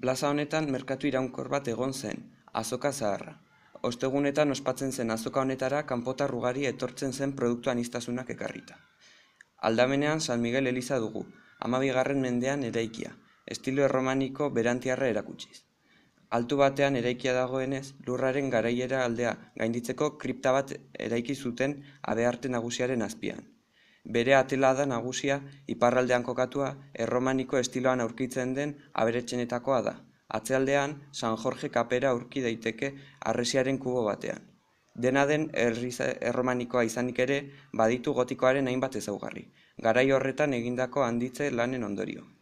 Plaza honetan merkatu iraunkor bat egon zen, azoka zaharra. Ostegunetan ospatzen zen azoka honetara kanpotar ugari etortzen zen produktu aniztasunak ekarrita. Aldamenean San Miguel eliza dugu, 12. mendean eraikia, estilo erromaniko berantiarra erakutsiz. Altu batean eraikia dagoenez, lurraren garaiera aldea gainditzeko kripta bat eraiki zuten habearte nagusiaren azpian. Bere atelada nagusia iparraldean kokatua erromaniko estiloan aurkitzen den aberatsenetakoa da. Atzealdean San Jorge kapera aurki daiteke harresiaren kubo batean. Dena den erromanikoa izanik ere baditu gotikoaren hainbat ezaugarri, garai horretan egindako handitze lanen ondorio.